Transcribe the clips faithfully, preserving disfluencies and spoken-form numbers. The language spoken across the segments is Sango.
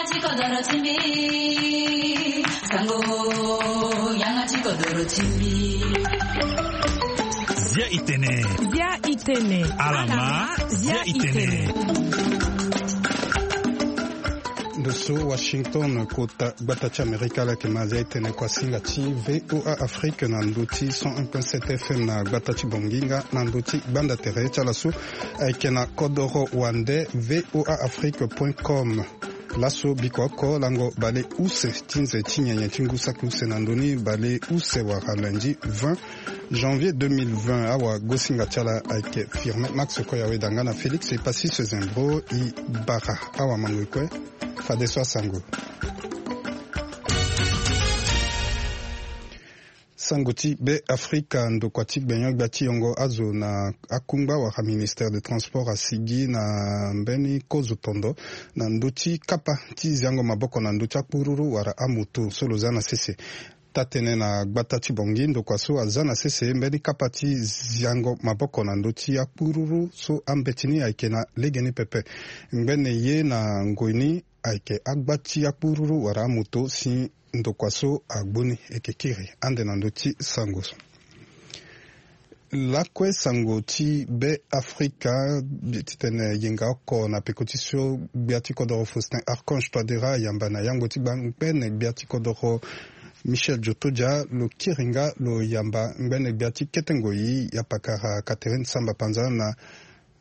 Ti kodoro ti mbi. Sango, yanga ti kodoro ti mbi. Zia itene. Zia itene. Alama, zia itene. Ndo so Washington, kota gbata ti Amerika, lake ma zia itene kuasinga ti V O A Afrique na ndo ti cent un point sept F M na gbata ti Bongi nga na ndo ti gbanda tere ti ala so ayeke na kodoro wande V O A Afrique point com. Laso biko oko lango bale use ti nze ti nyenye ti ngu saki use na ndoni bale use wala lundi vingt janvier deux mille vingt. Awagosinga ti ala ayeke Firmin Max Koyaweda nga na Félix Epassis Zembro. E bara awamango e kue. Fadeso asango. Sango ti Be Afrika, ndokua ti gbenyo-gbia ti yongo azo na akungba wala ministère de transport asigi na mbeni kozo tondo na ndö ti kapa ti ziango maboko na ndö ti akpururu wala amoto so lo za na sese. Taa-tënë na gbata ti Bongi, ndokua so aza na sese mbeni kapa ti ziango maboko na ndö ti akpururu so ambeti ni ayeke na legeni pepe. Ngbene ye na ngoi ni ayeke agba ti akpururu wala amoto si ndokua so agbu ni. E yeke kiri ande na ndö ti sango so. Lakue sango ti Be Afrika, titene yenga oko na peko ti so gbia ti kodoro Faustin Archange Touadéra ayamba na yangbo ti gbangbene gbia ti kodoro Michel Djotodia, lo kiri nga lo yamba ngbene gbia ti kete ngoi ya pakara Catherine Samba Panza na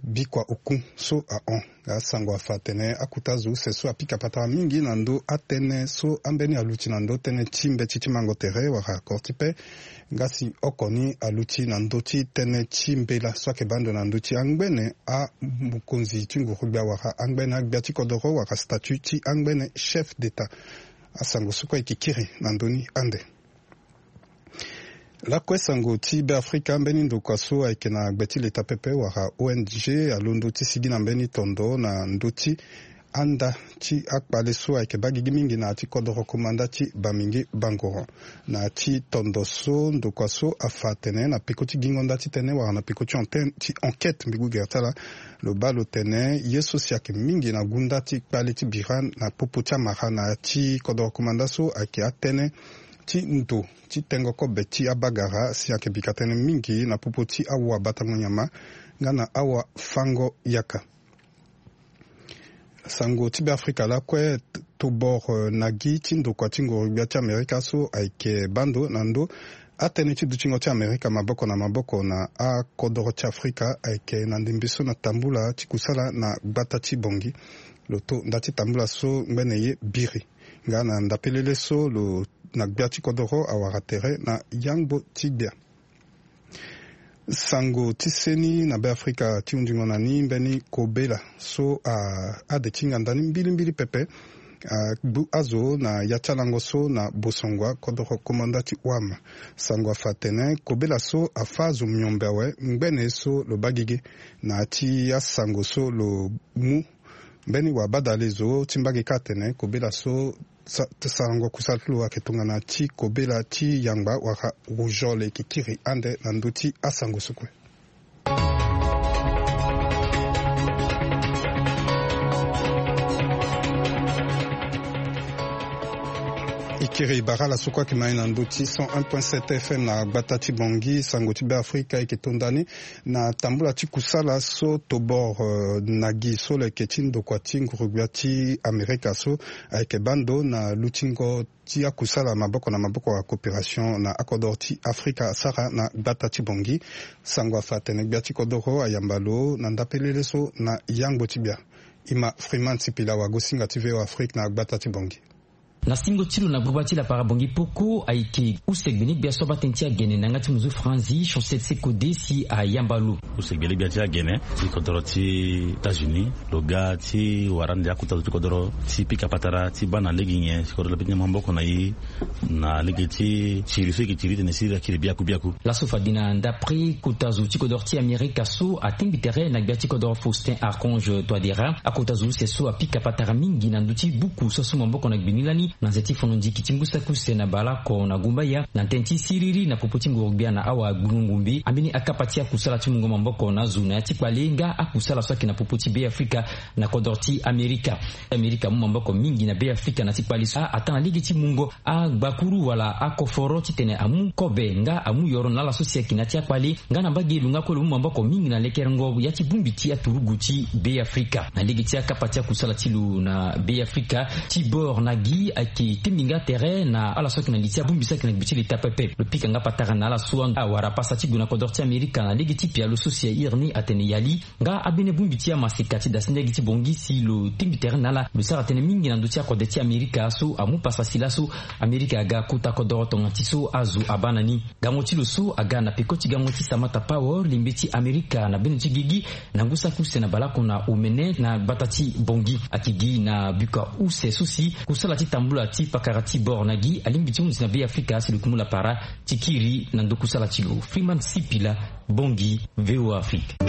bikua oku so ahon. Asango afa atene akuta zo use so apika patara mingi na ndö atënë so ambeni aluti na ndö tënë ti mbeti ti mango tere wala kortipe. Nga si oko ni aluti na ndö ti tënë ti mbela so ayeke baa ndo na ndö ti angbene amokonzi ti nguru-gbia wala angbene agbia ti kodoro wala statut ti angbene chef d'état. Asango so kue e yeke kiri na ndö ni ande. Lakue sango ti Be Afrika, mbeni ndokua so ayeke na gbe ti leta pepe wala O N G alondo ti sigi na mbeni tondo na ndö ti anda ti akpale so ayeke baa gigi mingi na ya ti kodoro komanda ti Bamingi Bangoro. Na ya ti tondo so ndokua so afa atene na peko ti gingo nda ti tënë wala na peko ti enquête, ti enquête mbi gue gere ti ala, lo baa lo tene ye so si ayeke mingi na gunda ti kpale ti bira na popo ti amara na ya ti kodoro komanda so ayeke atënë ti ndo ti tengo kobe ti abagara si ayeke bika tënë mingi na popo ti awabatango nyama nga na awafango yaka. Sango ti Be Afrika lakue, t-, tobor, eh, na gi ti ndokua ti ngoro-gbia ti Amerika so ayeke baa ndo na ndö atënë ti dutingo ti Amerika maboko na maboko na akodoro ti Afrika ayeke na ndembe so na tambula ti kusala na gbata ti Bongi. Lo to nda ti tambula so ngbene ye biri. Nga na ndapelele so lo na gbia ti kodoro awara tere na yangbo ti gbia. Sango ti seni na Be Afrika ti hundingo na ni mbeni kobela so a, ade ti nganda ni mbilimbili pepe agbu azo na ya ti alango so na bosongua kodoro komanda ti wam. Sango afa atene kobela so afâ azo miombe awe ngbene so lo baa gigi. Na ya ti asango so lo mu mbeni wabadale zo ti mbage kâ atene kobela so sa-, sarango kusala ti lo ayeke tongana ti kobela ti yangba wala rougeole. E yeke kiri ande na ndö ti asango so kue. E kiri bara ala so kue ayeke ma e na ndö ti cent un point sept F M na gbata ti Bangui. Sango ti Be Afrika e yeke to nda ni na tambula ti kusala so tobor, eh, na gi so lo yeke ti ndokua ti nguru-gbia ti Amerika so ayeke baa ndo na lutingo ti akusala maboko na maboko, acoopération, na akodoro ti Afrika asara na gbata ti Bangui. Sango afa atene gbia ti kodoro ayamba lo na ndapelele so na yangbo ti gbia. E ma Freeman Sipila, wagosinga ti V O A Afrique na gbata ti Bangui. Na singo ti lo na gbuba ti lapara Bangui poko ayeke use gbenegbia so abaa tënë ti agene na yanga ti muzu franzi, Chancel Sekode, si ayamba lo. Use gbenegbia ti agene ti kodoro ti États-Unis, lo ga ti wara ande akuta zo ti kodoro ti pika patara ti baa na lege nyen si kodoro lo pika maboko na e na lege ti tiri so e yeke tiri tene si e kiri biaku biaku. Laso fade na ndapre kota zo ti kodoro ti Amerika so atingbi tere na gbia ti kodoro Faustin Archange Touadéra, akota zo use so apika patara mingi na ndö ti buku so asu maboko na gbe ni lani Na nze ti fono ndiki ti ngu saki use na baleoko na gumbaya na tënë ti siriri na popo ti nguru-gbia na awagbingo-ngumbi, ambeni akapa ti akusala ti mungo maboko na azo na ya ti kpale nga akusala so ayeke na popo ti Beafrika na kodro ti Amerika. Amerika amu maboko mingi na Beafrika na ti kpale so a, ataa na lege ti mungo agbakuru wala akoforo titene amu kobe nga amu yoro na ala so si ayeke na ya ti akpale. Nga na mbage lo nga kue lo mu maboko mingi na lekerengo ya ti bongbi ti aturugu ti Beafrika. Na lege ti akapa ti akusala ti lo na Beafrika, Tibor Nagi ayeke tengbi nga tere na ala so ayeke na li ti abongbi so ayeke na gbe ti leta pepe. Lo pika nga patara na ala so awara pasa ti gue na kodro ti Amerika na lege ti pialo so si ahiri ni atene yali. Nga abene bongbi ti amaseka ti dasi ndege ti bongi si lo tengbi tere na ala, lo sara tënë mingi na ndö ti akode ti Amerika so amu pasa si laso Amerika aga kota kodoro tongana ti so azo abaa na ni. Gango ti lo so aga na peko ti gango ti Samantha Power, lingbi ti Amerika na bendo ti gigi, na ngu saki use na baleoko na omene na gbata ti Bangui. Ayeke gi na buka use so si kusala ti tambula ti pakara Tibor Nagi alingbi ti hunzi na Beafrika si lo yeke mu lapara ti kiri na ndo kusala ti lo. Freeman Sipila, Bangui, V O A Afrique. E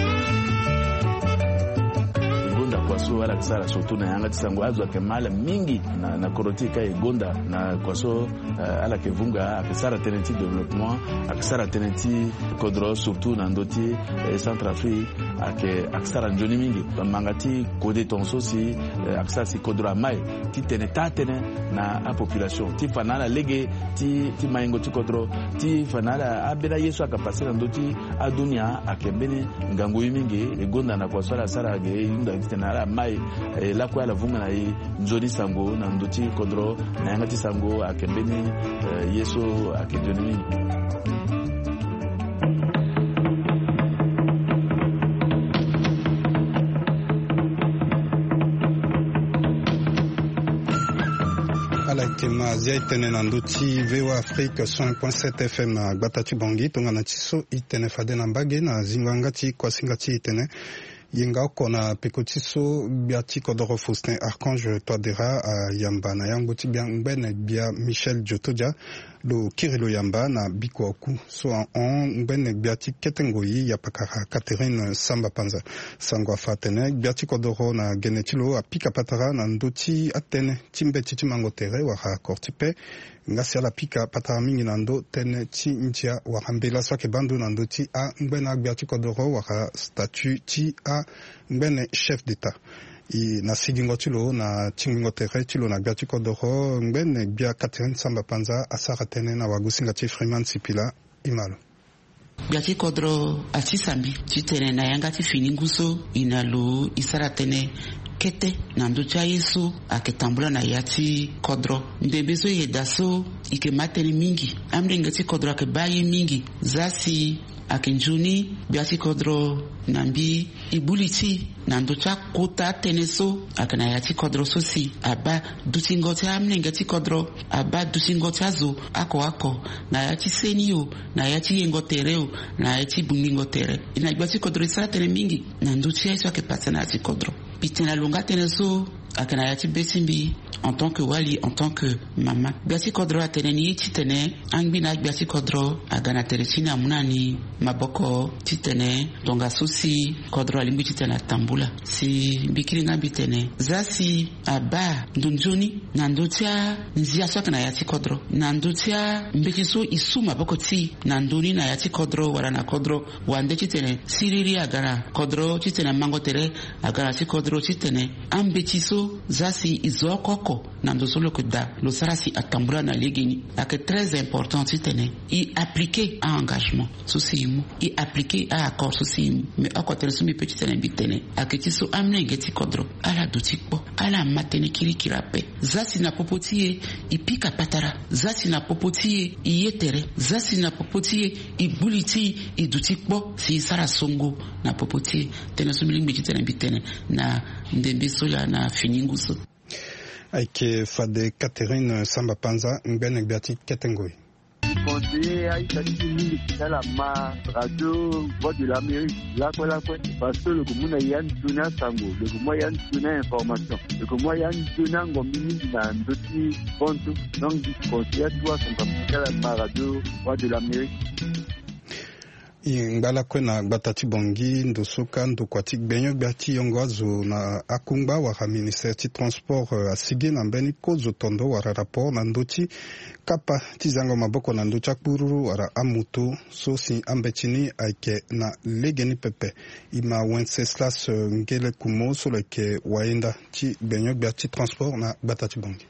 gonda kua so ala yeke sara surtout na yanga ti sango, azo ayeke ma ala mingi na, na kodro ti e ka e gonda na kua so, eh, ala yeke vunga, ayeke sara tënë ti développement, ayeke sara tënë ti kodro surtout na ndö ti, eh, Centrafrique, ayeke, ayeke sara nzoni mingi. Manga ti kode tongaso si, eh, ayeke sara si kodro amai titene taa tënë na apopulation ti fa na ala lege ti, ti maingo ti kodro, ti fa na ala ambeni aye so ayeke pase na ndö ti adunia ayeke mbeni ngangu ye mingi. E gonda na kua so ala sara ge e hunda titene ala mai, eh, lakue ala vunga na e nzoni sango na ndö ti kodro na yanga ti sango ayeke mbeni, eh, ye so ayeke nzoni mingi. Ala yeke ma azia e tene na ndö ti V O A Afrique cent point sept F M na gbata ti Bangui. Tongana ti so e tene fade na mbage na zingo yanga ti kuasinga ti e tene yenga oko na peko ti so gbia ti kodoro Faustin Archange Touadéra ayamba na yangbo ti gbia ngbene gbia Michel Djotodia. Lo kiri lo yamba na bikua oku so ahon ngbene gbia ti kete ngoi ya pakara Catherine Samba Panza. Sango afa atene gbia ti kodoro na gene ti lo apika patara na ndö ti atënë ti mbeti ti mango tere wala accord ti paix. Nga si ala pika patara mingi na ndö tënë ti ndia wala mbela so ayeke baa ndo na ndö ti angbene agbia ti kodoro wala statut ti angbene chef d'état. E na sigingo ti lo na tingbingo tere ti lo na gbia ti kodoro, ngbene gbia Catherine Samba Panza asara tënë na wagosinga ti Freeman Sipila. E ma lo. Gbia ti kodro asisa mbi titene na yanga ti fini ngu so e na lo e sara tënë kete na ndö ti aye so ayeke tambula na ya ti kodro. Ndembe so e yeda so e yeke ma tënë mingi. Amolenge ti kodro ayeke baa ye mingi. Za si ayeke nzoni gbia ti kodro na mbi e gbu li ti na ndö ti akota atënë so ayeke na ya ti kodro so si abaa dutingo ti amolenge ti kodro, abaa dutingo ti azo oko oko na ya ti seni o, na ya ti yengo tere o, na ya ti bungbingo tere. E na gbia ti kodro e sara tënë mingi na ndö ti aye so ayeke pasa na ya ti kodro. Mbi tene na lo nga tënë so ayeke na ya ti be ti mbi en tant que wali, en tant que mama. Gbia ti kodro atene ni titene angbi na agbia ti kodro aga na tere ti ni amu na ni maboko titene tongaso si kodro alingbi titene atambula. Si mbi kiri nga mbi tene za si abaa ndo nzoni na ndö ti anzia so ayeke na ya ti kodro, na ndö ti ambeti so e su maboko ti e na ndö ni na ya ti kodro wala na kodro wande titene siriri aga na kodro, titene mango tere aga na ya ti kodro, titene ambeti so za si e zo oko oko na ndo so lo yeke daa lo sara si atambula na legeni. Ayeke très important titene e appliquer a-engagement so si e mu, e appliquer a-accord so si e mu. Mais oko tënë so mbi pe titene mbi tene ayeke ti so amolenge ti kodro ala duti kpo, ala ma tënë kirikiri ape. Za si na popo ti e e pika patara, za si na popo ti e e ye tere, za si na popo ti e e gbu li ti e e duti kpo si e sara songo na popo ti e. Tënë so mbi lingbi titene mbi tene na ndembe so laa na fini ngu so. Ayeke fade Catherine Samba Panza, ngbene gbia ti kete ngoi. Conseiller aita ti mbi mingi ti ala ma radio Voix de l'Amérique lakue lakue, parce que lo yeke mu na ya nzoni asango, lo yeke mu ya nzoni a-information, lo yeke mu ya nzoni angombi mingi na ndö ti bantu. Donc mbi conseiller atu asango ti ala ma radio Voix de l'Amérique. E ngba lakue na gbata ti Bangui, ndo so ka ndokua ti gbenyo-gbia ti yongo azo na akungba wala ministère ti transport, eh, asigi na mbeni kozo tondo wala rapport na ndö ti kapa ti zango maboko na ndö ti akpururu wala amoto so si ambeti ni ayeke na legeni pepe. E ma Wenceslas, eh, Ngele Kumo so lo yeke wayenda ti gbenyo-gbia ti transport na gbata ti Bangui.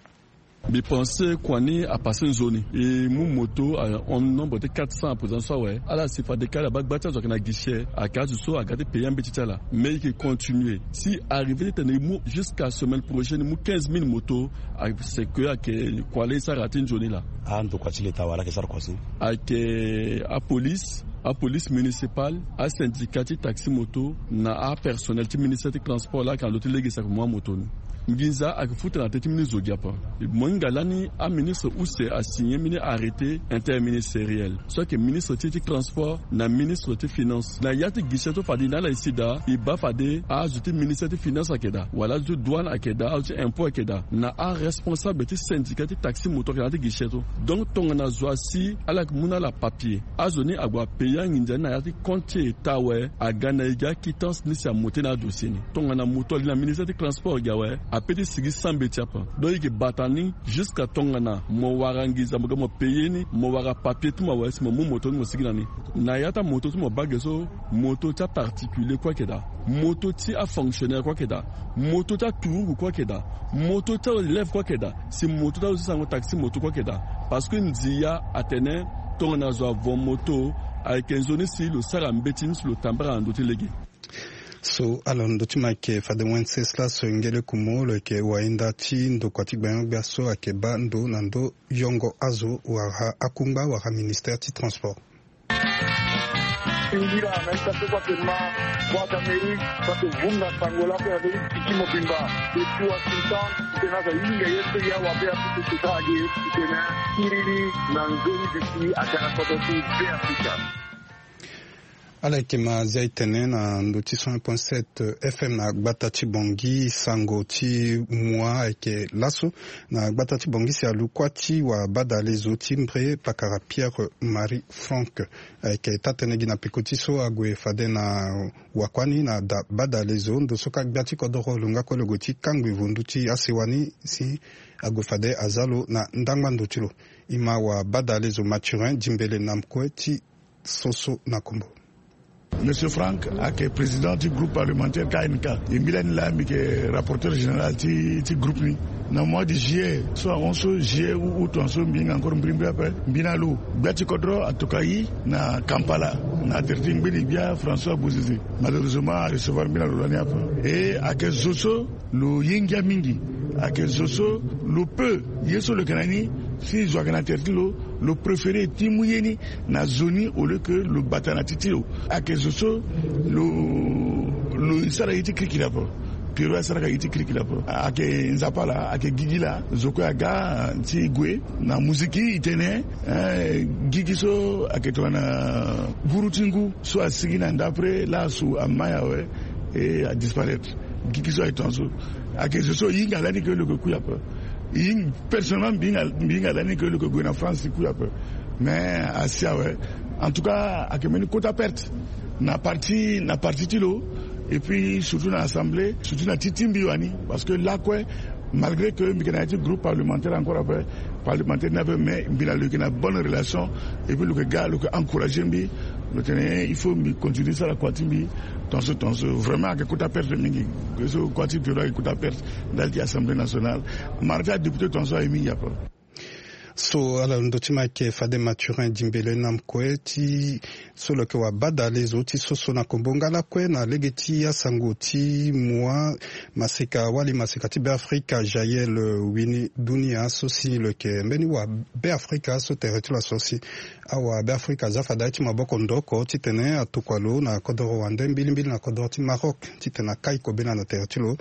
Mbi pense kua ni apasse nzoni. E mu moto ahon nombre ti quatre cents à présent so awe. Ala si fade ka ala baa gba ti azo ayeke na guichet, ayeke azo so aga ti payer ambeti ti ala. Mais e yeke continuer. Si arrivé titene e mu jusqu'à semaine prochaine, e mu quinze mille moto, a, c'est que ayeke kua laa e sara ti nzoni laa. Andokua ti leta wala ayeke sara kua so? Ayeke apolice, apolice municipale, asyndicat ti taxi moto, na apersonnel ti ministère ti transport laa ayeke na ndö ti lege si ayeke mu amoto ni. Nginza ayeke futa na teti mbeni zo gi ape. Mo hinga lani aministre use asigné mbeni arrêté interministériel so ayeke ministre ti, ti transport na ministre ti finance. Na ya ti guichet so fade e na ala e si daa, e baa fade azo ti ministère ti finance ayeke daa, wala azo ti douane ayeke daa, azo ti impôt ayeke daa, na aresponsable ti syndicat ti taxi moto ayeke na ya ti guichet so. Donc tongana zo asi ala yeke mu na ala papier, azo ni ague apayer anginza ni na ya ti compte ti e taa awe, aga na e gi aquittance ni si amoto na adossier ni. Tongana moto ali na ministère ti transport gi awe, ape ti sigi sambeti ape. Donc e yeke bata ni jusqu'à tongana mo wara nginza mo ga mo payer ni, mo wara papier ti mo awe si mo mu moto ni mo sigi na ni. Na ya ti amoto ti mo baa ge so, moto ti aparticulier kue ayeke daa, moto ti afonctionnaire kue ayeke daa, moto ti aturugu kue ayeke daa, moto ti aélève kue ayeke daa, si moto ti azo ti sango taxi moto kue ayeke daa. Parce que ndia atene tongana zo avo moto, ayeke nzoni si lo sara mbeti ni si lo tambara na ndö ti lege. So ala ndö ti mo ayeke fade Wenceslas Ngele Kumo, lo yeke wayenda ti ndokua ti gbenyo-gbia so ayeke baa ndo na ndö yongo azo wala akungba wala ministère ti transport. Singira na ita so kua tene ma Voix d'Amérique, kua tene vunga sango lako ya Amérique tiki mobimba. Depuis Washington, tena za yinga ye so ya wa be ya kutu sika age, tena kiriri na nzoni bisi akana koto ti be Afrika. Ala yeke ma zia e tene na ndö ti cent un point sept F M na gbata ti Bangui, sango ti mua ayeke laso na gbata ti Bangui si alu kuâ ti wabadale zo ti mbre pakara Pierre Marie Franck. Ayeke taa tënë gi na peko ti so ague fade na wakuâ ni na da badale zo ndo so ka gbia ti kodoro lo nga kue lo gue ti kangbi vundu ti asewa ni si ague fade aza lo na ndangba ndo ti lo. E ma wabadale zo Mathurin Dimbele na mkue ti soso na kombo. Monsieur Franck ayeke président ti groupe parlementaire K N K. E mbi lani laa mbi yeke rapporteur général ti, ti groupe ni. Na mois de juillet so ahon so, juillet ou août ahon so, mbi hinga encore mbirimbiri ape. Mbi na lo, gbia ti kodro atoka e na Kampala na tere ti ngbeni gbia François Bozizé. Malheureusement arecevoir mbi na lo lani ape. E ayeke zo so lo ye ngia mingi. Ayeke zo so lo peut, ye so lo yeke na ni, si zo ayeke na tere ti lo, lo préféré ti mu ye ni na zo ni au lieu que lo bata na ti ti lo. Ayeke zo so lo, lo sara ye ti kirikiri ape. Pierrot asaraka ye ti kirikiri ape. Ayeke Nzapa laa, ayeke gigi laa, zo kue aga ti gue na muziki e tene, eh, gigi so ayeke tongana guru ti ngu so asigi na ndapre laa asu amai awe, e adisparaître. Gigi so aye tongaso. Ayeke zo so e hinga lani ke lo yeke kui ape. E hing-, personnellement mbi hinga, mbi hinga lani ke lo yeke gue na France kui ape. Mais asi awe. En tout cas ayeke mbeni kota perte na parti, na parti ti lo. Et puis surtout na assemblée, surtout na ti ti mbi wani. Parce que lakue, malgré que mbi yeke na ya ti groupe parlementaire encore ape, parlementaire ni ape, mais mbi na lo yeke na bonne relation. Et puis lo yeke ga, lo yeke encourager mbi. Lo tene il faut mbi continuer sara kua ti mbi tongaso, tongaso. Vraiment ayeke kota perte mingi. So kua ti Pierrot ayeke kota perte ndali ti Assemblée nationale. Mara ti adéputé tongaso aye mingi ape. So ala ndö ti mo ayeke fade Mathurin Dimbele na mkue ti so lo yeke wabadale zo ti soso na kombo. Nga lakue na lege ti asango ti mua, maseka wali maseka ti Beafrika Jaël Wini Dunia so si lo yeke mbeni wabeafrika so tere ti lo aso si awabeafrika aza fade aye ti maboko ndoko titene atokua lo na kodoro wande mbilimbili na kodoro ti Maroc titene akai kobela na tere ti lo.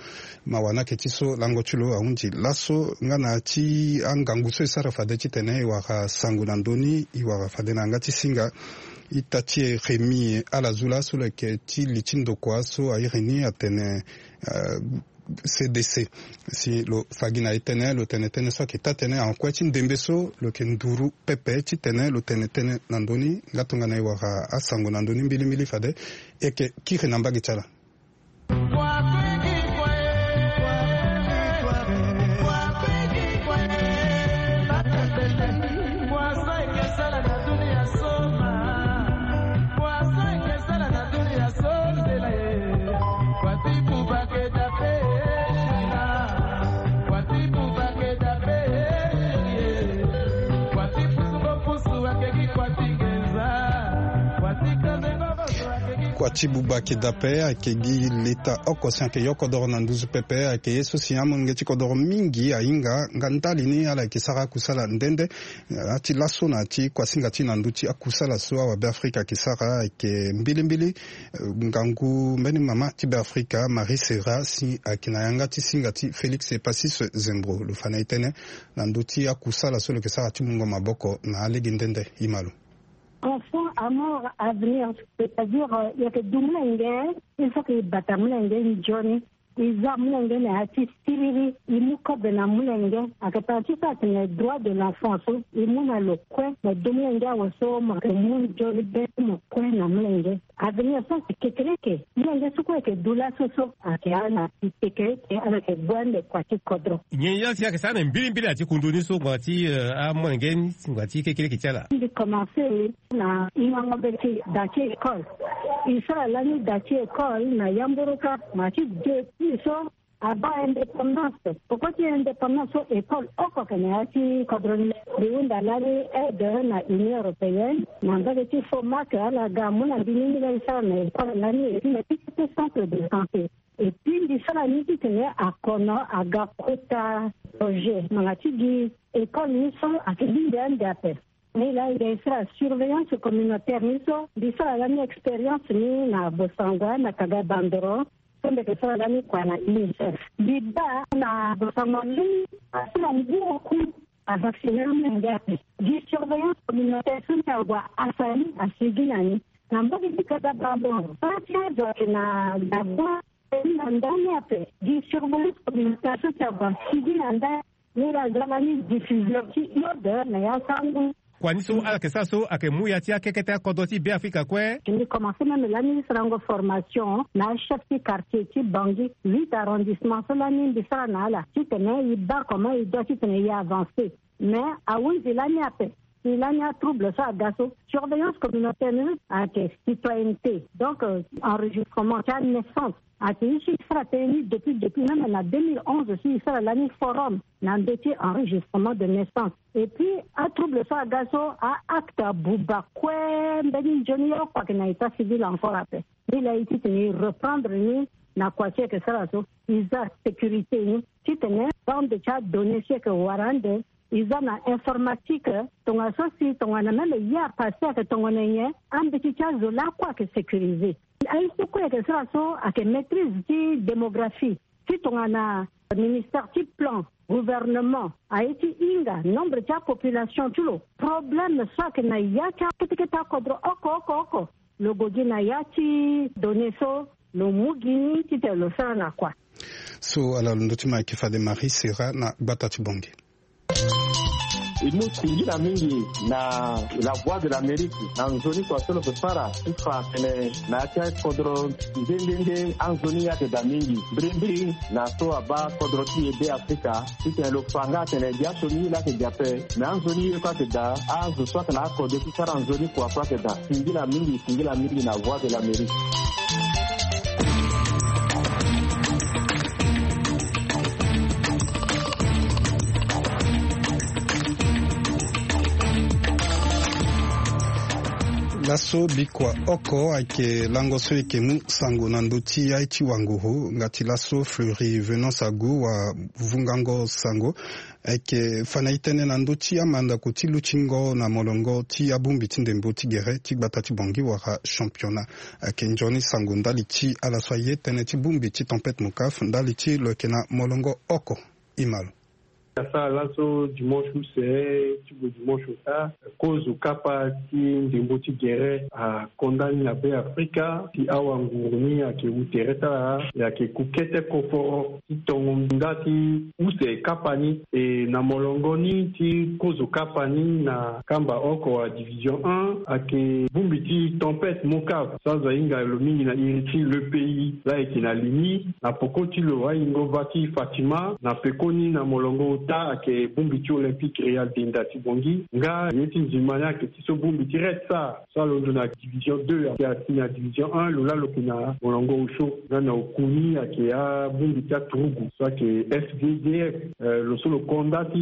Mawa ni ayeke ti so lango ti lo ahunzi laso nga na ya ti angangu so e sara fade titene e wara sango na ndö ni, e wara fade na yanga ti singa. Ita ti e Rémy ala zu laso lo yeke ti li ti ndokua so a iri ni atene, eh, C D C. Si lo fa gi na e tënë, lo tene tënë so ayeke taa-tënë, en kue ti ndembe so lo yeke nduru pepe titene lo tene tënë na ndö ni. Nga tongana e wara asango na ndö ni mbilimbili fade e yeke kiri na mbage ti ala. Kua ti buba keda pe ayeke gi leta oko si ayeke yo kodoro na nduzu pepe, ayeke ye so si amolenge ti kodoro mingi ahinga. Nga ndali ni ala yeke sara akusala nde nde. Ati laso na ti kuasinga ti na ndö ti akusala so awabeafrika ayeke sara ayeke mbilimbili. Eh, ngangu mbeni mama ti Beafrika, Marie Serra, si ayeke na yanga ti singa ti Félix Epassis Zembro, lo fa na e tënë na ndö ti akusala so lo yeke sara ti mungo maboko na alege nde nde. E ma lo. Enfant à mort à venir, c'est-à-dire, euh, e yeke du molenge, il faut que e bata molenge nzoni. E za molenge na ya ti siriri, e mu kobe na molenge. Ayeke tara ti so atene droit de l'enfant so e mu na lo kue, na du molenge awe so mo yeke mu nzoni be ti mo kue na molenge. Avenir so ayeke kekereke. Molenge so kue ayeke du laso so ayeke ala na si kekereke, ala yeke gue ande kua ti kodro. Nyen ya si ayeke sara na mbilimbili ati kundu ni so ngbanga ti, eh, amolenge ni, ngbanga ti kekereke ti ala? Mbi commencé na hingango be ti da ti école. E sara lani da ti école na yamboroka, ma ti depuis so abaa indépendance. Poko ti indépendance so école oko ayeke na ya ti kodro ni. Mbi hunda lani aide na Union européenne, na mbage ti Fomac, ala ga amu na mbi ni, mbi laa e sara na école lani, et puis na ti ti centre de santé. Et puis mbi sara ni titene akono aga kota projet. Ngbanga ti gi école ni so ayeke lingbi ande ape. Ni laa e ga e sara surveillance communautaire ni so, mbi sara lani expérience ni na Bossangoa, na Kaga Bandoro, so mbi yeke sara lani kua na UNICEF. Mbi baa na Bossangoa ni, asara ngu oku avacciner amolenge ape. Gi surveillance communautaire so si agua asali asigi na ni. Na mbage ti Kaga Bandoro, so ti azo ayeke na gabon, na ndani ape. Gi surveillance communautaire so si agua asigi na ndani. Ni laa aza lani diffuseur ti iode na ya sango. Kua ni so ala yeke sara so ayeke mu ya ti akekete akodro ti Beafrika kue. Mbi commencé même lani sarango formation na achef ti quartier ti Bangui, huit arrondissement so lani mbi sara na ala titene e baa comment e doit titene e avancer. Mais ahunzi lani ape. Si lani atrouble so aga so, surveillance communautaire ni ayeke citoyenneté, donc, euh, enregistrement ti anaissance. Ayeke ye so e sara tënë ni depuis, depuis même na deux mille onze so e sara lani forum na ndö ti enregistrement de naissance. Et puis atrouble so aga so, a-acte abuba kue mbeni nzoni oko ayeke na état civil encore ape. Ni laa e titene e reprendre ni na kua so e yeke sara so, e za sécurité ni titene bande ti adonnée so e yeke wara ande, e za na informatique, tongana so si tongana même ye apassé ayeke tongana nyen, ambeti ti azo lakue ayeke sécurisé. Aye so kue e yeke sara so ayeke maîtrise ti démographie ti tongana ministère ti plan, gouvernement aye ti hinga nombre ti apopulation ti lo, problème so ayeke na ya ti akete kete akodro oko oko oko, lo gue gi na ya ti données so lo mu gi ni titene lo sara na kua. So ala lo ndö ti ma ayeke fade Marie Serra na gbata ti Bangui. E mu singila mingi na La Voix de l'Amérique na nzoni kua so lo yeke sara ti fa atene na ya ti akodro nde nde nde anzoni ayeke daa mingi. Mbirimbiri na so abaa kodro ti e Beafrika titene lo fa nga atene gi asioni ye laa ayeke gi ape, me anzoni ye kue ayeke daa, azo so ayeke na akode ti sara nzoni kua kue ayeke daa. Singila mingi, singila mingi na Voix de l'Amérique. Laso bikua oko ayeke lango so e yeke mu sango na ndö ti aye ti wanguru. Nga ti laso Fleury Venance Agu wa vungango sango. Ayeke fa na e tënë na ndö ti amandako ti lutingo na molongo ti abongbi ti ndembo ti gere ti gbata ti Bangui wala championnat. Ayeke nzoni sango ndali ti ala so aye tënë ti bongbi ti tempête Mokaf ndali ti lo yeke na molongo oko. E ma lo. Asara laso dimanche use ti gue dimanche ota, kozo kapa ti ndembo ti gere akonda ni na Be Afrika ti awa nguru ni ayeke wu tere ti ala, e ayeke ku kete koforo ti tongo nda ti use kapa ni. E na molongo ni ti kozo kapa ni na kamba oko wa division un, ayeke bongbi ti Tempête Mocave so azo ahinga lo mingi na iri ti Le Pays, laa ayeke na li ni. Na peko ti lo ayingo va ti Fatima, na pekoni na molongo ota ayeke bongbi ti Olympique Real Denda ti Bangui. Nga ye ti nzima ni ayeke ti so bongbi ti Red Star so alondo na division deux ayeke asi na division un, lo laa lo yeke na molongo osio. Nga na oku ni ayeke abongbi ti aturugu so ayeke F D D F. Eh, lo so lo konda ti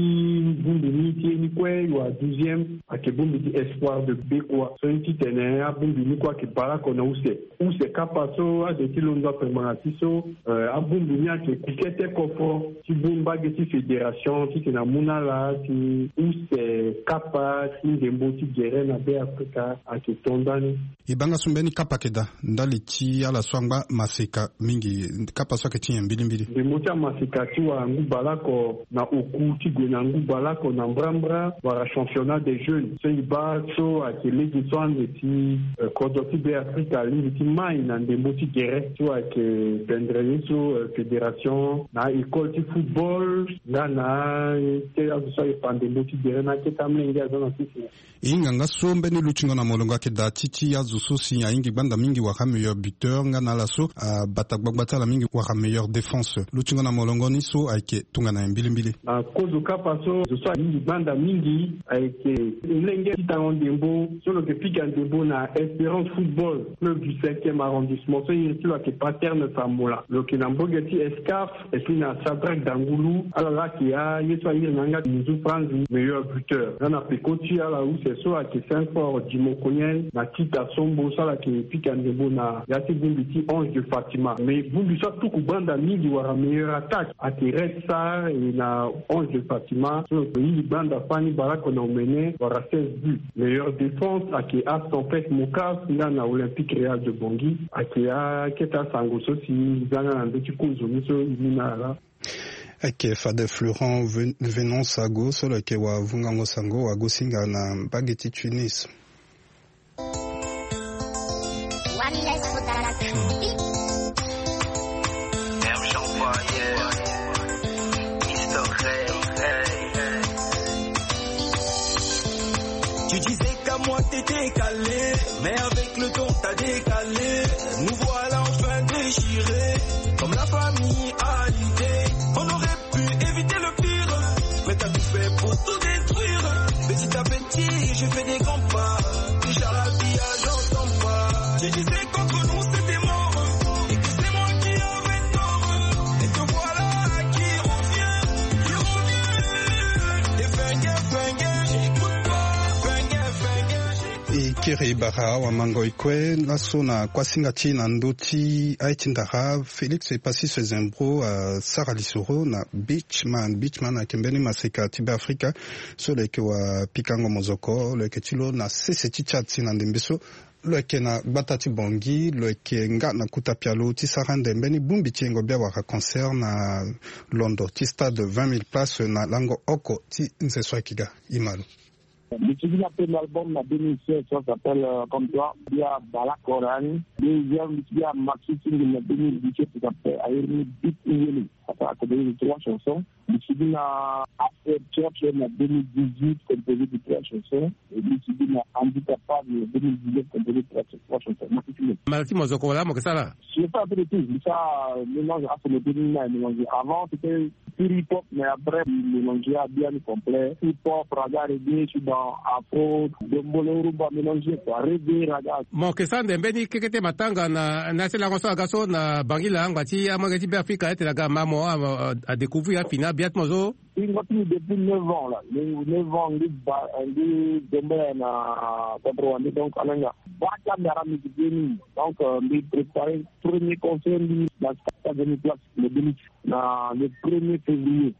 bongbi ni ti ye ni kue, yo a douzième, ayeke bongbi ti Espoir de Bekua. So ye ti tene abongbi ni kue ayeke bale oko na use. Use kapa so azo ti londo ape ngbanga ti so, eh, abongbi ni ayeke ku kete koforo ti bongbi mbage ti fédération titene amu na ala ti use kapa ti ndembo ti gere na Be Afrika ayeke to ndani. E baa nga so mbeni kapa ayeke daa ndali ti ala so angba maseka mingi, kapa so ayeke ti nyen mbilimbili? Ndembo ti amaseka ti wara ngu bale oko na oku ti gue na ngu bale oko na mbrambra wala championnat des jeunes. So e baa so ayeke lege so ande ti, eh, kodro ti Be Afrika alingbi ti mai na ndembo ti gere so ayeke bendre ye so, eh, fédération na école ti football nga na, eh, te azo so ayeke fa ndembo ti gere na akete amolenge aza na sese. E hinga nga so mbeni lutingo na molongo ayeke daa ti ti azo so si ahingi gbanda mingi wala meilleur buteur nga na ala so abata gbagba ti ala mingi wala meilleur défense. Lutingo na molongo ni so ayeke tongana nyen mbilimbili? Na kozo kapa so, zo so ahingi gbanda mingi ayeke molenge ti tango ndembo so lo yeke pika ndembo na Espérance Football, club du cinquième arrondissement so iri ti lo ayeke Paterne Samola. Lo yeke na mbage ti Escaf. Et puis na Shadrack Dangulu, ala laa ayeke aye so airi na yanga ti munzu franzi meilleur buteur. Nga na peko ti ala use so ayeke Saint-Fort Dimokoniel na Tita Sombo so ala yeke pika ndembo na ya ti bongbi ti Ange de Fatima. Mais bongbi so atuku gbanda mingi wala meilleur attaque ayeke Red Star, e na Ange de Fatima so lo hingi gbanda fani bale oko na omene wala seize buts. Meilleure défense ayeke As Tempête Mocave nga na Olympique Real de Bangui. Ayeke akete asango so si e za nga na ndö ti kozo ni so e mu na ala. Ayeke fade Florent Ven-, Venance Ago so lo yeke wavungango sango wagosinga na mbage ti Tunis. Tu disais qu'à moi t'étais calé, mais avec le temps t'as décalé. Nous voilà enfin déchirés, comme la famille a l'idée. On aurait pu éviter le pire, mais t'as tout fait pour tout détruire. Petit à petit, je fais des grands pas. Déjà la vie, ah, j'entends pas. Tu disais qu'entre nous c'était mort, et que c'est moi qui avais tort. Et te voilà qui revient, qui revient. Et fenge, fenge, j'écoute pas. Fenge, fenge, j'écoute E kiri bara awamango e kue laso na kuasinga ti na ndö ti aye ti ndara, Félix Epassis Zembro asara lisoro na Beachman. Beachman ayeke mbeni maseka ti Beafrika so lo yeke wapikango mozoko, lo yeke ti lo na sese ti Tchad si na ndembe so lo yeke na gbata ti Bangui, lo yeke nga na kota pialo ti sara ande mbeni bongbi ti yengo bia wala concert na londo ti stade vingt mille places na lango oko ti nze so ayeke ga. E ma lo. Mbi sigi na premier album na deux mille seize, ça s'appelle, euh, Comme toi. Mbi abale oko na ni. Deuxième, mbi sigi na maxi single na deux mille dix-sept, ça s'appelle Ayeri ni Beat Yele. Ça fait à peu près trois chansons. Mbi sigi na After Church na deux mille dix-huit, composé de trois chansons. Et mbi sigi na Handicapable na deux mille dix-neuf, composé de trois, trois chansons. Maxi single. Mbala ti mozoko wala mo yeke sara? Je fais un peu de tout. Mbi sara, euh, mélange afro moderne na mélange. Avant, c'était pur hip-hop, mais après, mbi mélange ya biani complet. Hip-hop, raga, reggae, je suis dans afro, dombolo, rumba mélangé, quoi. Reggae, raga. Mo yeke sara ande mbeni keke ti matanga na, na ya ti lango so aga so na Bangui laa angba ti amolenge ti Beafrika, ete aga ma mo, a, a, adécouvrir afini abia ti mo so. Hingo ti mbi depuis neuf ans là. Neuf ans, mbi ba, mbi dombolo na Centre Rwandais, donc, alenga. Baka mbi ara musique ni. Donc, euh, mbi préparer premier concert, mbi na stade vingt mille places, le deux mille, na le premier février.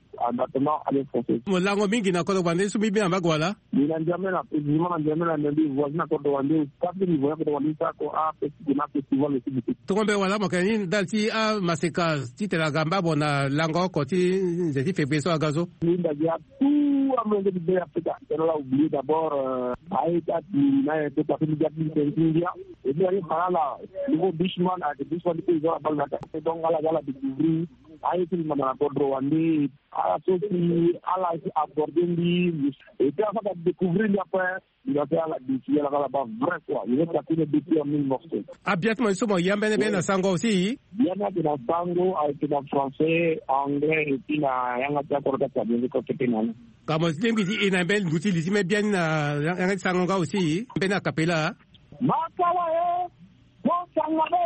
Mo lango mingi na kodro wande so mbi bi na mbage wala? Mbi na Njamena, précisément na Njamena, mais mbi voisin na kodro wande. Kati mbi voisin na kodro wande, sa ko a festival, na festival aussi. Tongo mbe wala mo yeke ni ndali ti amaseka titene aga mbabo na lango oko ti nze ti février so aga so? Mbi ndali ya tout amolenge ti be Afrika. Tena la oublier d'abord, euh, aye ti ati na ye to papi mbi ga ti ndia. Et puis aye fa ala nouveau Bushman, ayeke Bushman ti pays ala bal na ka. Donc ala ga ala découvrir aye ti mbi manda na kodro wande. Ala so si ala si aborder mbi. Et puis afa ka découvrir mbi après. Mbi ga ti ala découvrir ala kala ba vrai quoi. Il est tapé depuis en mille morceaux. Abiatima so mo ya mbeni be na sango aussi? Biani ayeke na sango, ayeke na français, anglais, et puis na yanga ti akoro ti atabenge ko kete na ni. Ka mo lingbi ti e na mbeni ngu ti li ti me biani na yanga ti sango nga aussi mbeni akapela. Makawa e, mo sanga be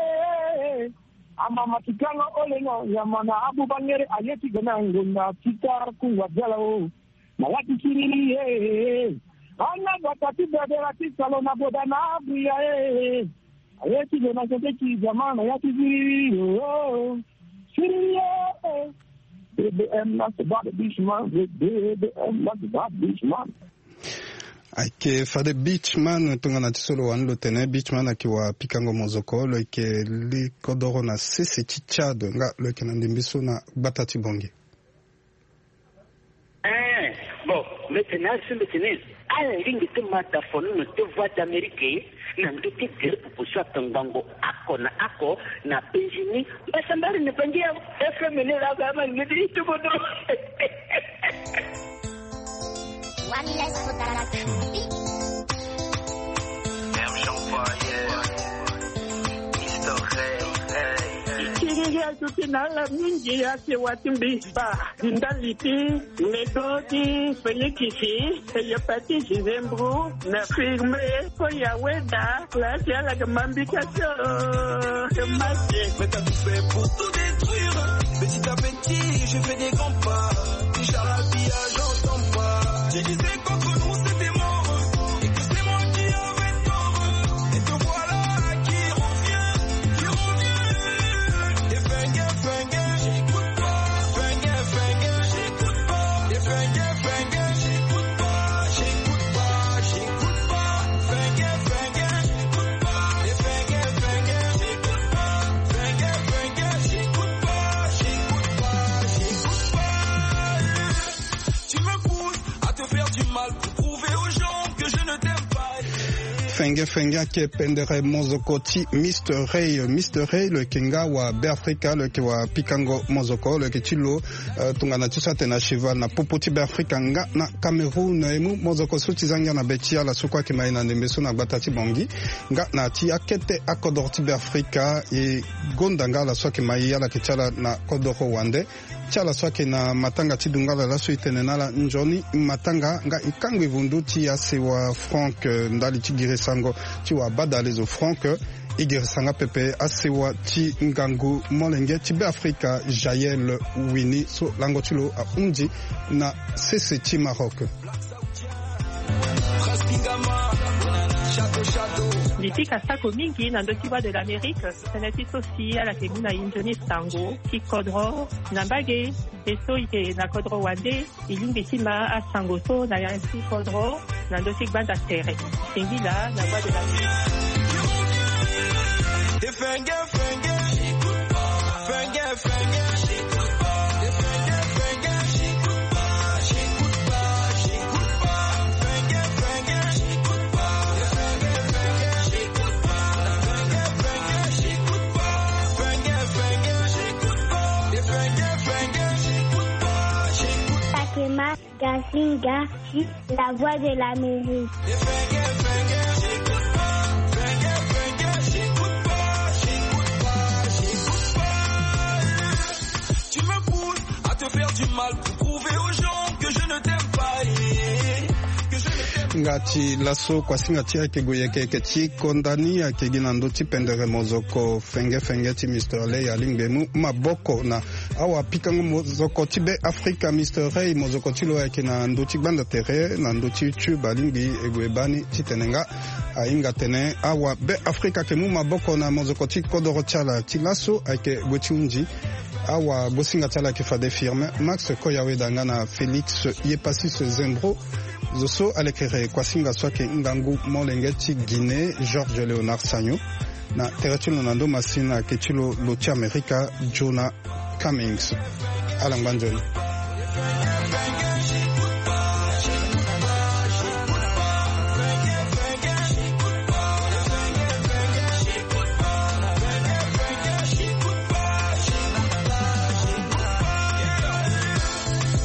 e. Amama ti kanga olengo nyama na abu bangere aye ti gana ngonda ti kar kungwa diala o. Na ya ti siriri e. Ana bata ti bebela ti salo na boda na abria e. Aye ti gana sete ti jama na ya ti siriri o. Siriri e. B B M na se ba de Bushman, B B M na se ba Bushman. Ayeke fade Beachman tongana ti so lo wani lo tene. Beachman ayeke wa pikango mozoko, lo yeke li kodoro na sese ti Tchad nga lo yeke na ndembe so na gbata ti Bangui. Eh, bon, mbi tene azo mbi tene ala lingbi ti ma dafonono ti Voix d'Amérique na ndö ti gere popo so atongbango oko na oko na Benjini. Mbasambari na Bangi ya F M ni la ga ma ngedi ti bodo. One less for that. Kiriri azo ti na ala mingi, asewa ti mbi ba ndali ti medo ti Félix, hépatite, gingembre, na firme, ko ya weda. Place ya la ke mambi ka so. Ke masi. Mais t'as tout fait pour tout détruire. Petit à petit, je fais des grands pas. Déjà la vie, j'entends pas. Tu disais qu'entre nous, c'était mort. Et que c'est moi qui avais tort. Et te voilà qui revient, qui revient. Et Fenge, Fenge, j'écoute pas. Fenge, Fenge, j'écoute pas. Et Fenge, Fenge, j'écoute pas. J'écoute pas, j'écoute pas. Fenge, Fenge, j'écoute pas. Et Fenge, Fenge, j'écoute pas. Fenge, Fenge, j'écoute pas. J'écoute pas, j'écoute pas. Tu me pousses à te faire du mal pour prouver aux gens que je ne t'aime pas. Fenge, Fenge ayeke pendere mozoko ti Mister Ray. Mister Ray lo yeke nga wa Beafrika, lo yeke wa pikango mozoko, lo yeke ti lo, eh, tongana ti so atene na cheval na popo ti Beafrika nga na Cameroun. E mu mozoko so ti za ngia na be ti ala so kue ayeke ma e na ndembe so na gbata ti Bangui nga na ya ti akete akodro ti Beafrika. E gonda nga ala so ayeke ma e, ala yeke ti ala na kodro wande. Ti ala so ayeke na matanga ti dungala laso e tene na ala nzoni matanga nga e kangbi vundu ti asewa Franck, eh, ndali ti girisango ti wa badalezo Franck. E girisa nga pepe asewa ti ngangu molenge ti Beafrika Jaël Wini so lango ti lo ahunzi na sese ti Maroc. Mbi pika sako mingi na ndö ti Voix de l'Amérique, tënë ti so si ala yeke mu na e nzoni sango ti kodro na mbage. E so e yeke na kodro wande, e lingbi ti ma asango so na ya ti kodro na ndö ti gbanda tere. Singila na Voix de l'Amérique. Gazinga, la voix de l'Amérique. Tu me pousses à te faire du mal pour prouver aux gens que je ne t'aime pas. Nga ti laso kuasinga ti ayeke gue yeke yeke ti konda ni ayeke gi na ndö ti pendere mozoko Fenge Fenge ti Mister Ley alingbi e mu maboko na awa pikango mozoko ti Be Afrika. Mister Ley, mozoko ti lo ayeke na ndö ti gbanda tere na ndö ti YouTube, alingbi e gue baa ni titene nga ahinga atene awa Be Afrika ayeke mu maboko na mozoko ti kodoro ti ala. Ti laso ayeke gue ti hunzi. Awa bosinga ti ala ayeke fade Firmin Max Koyaweda nga na Félix Yepasis Zembro. Zo so alekere kuasinga so ayeke ngangu molenge ti Guinée, Georges Léonard Sagno. Na tere ti lo na ndo masini ayeke ti lo lo ti Amerika, Jonah Cummings. Ala ngba nzoni.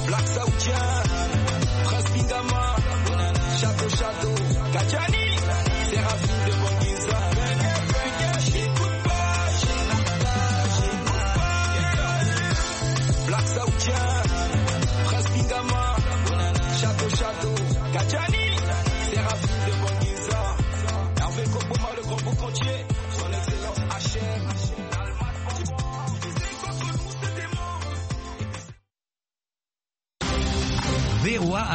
Black Saoudien, Prince Bingama, Château Château.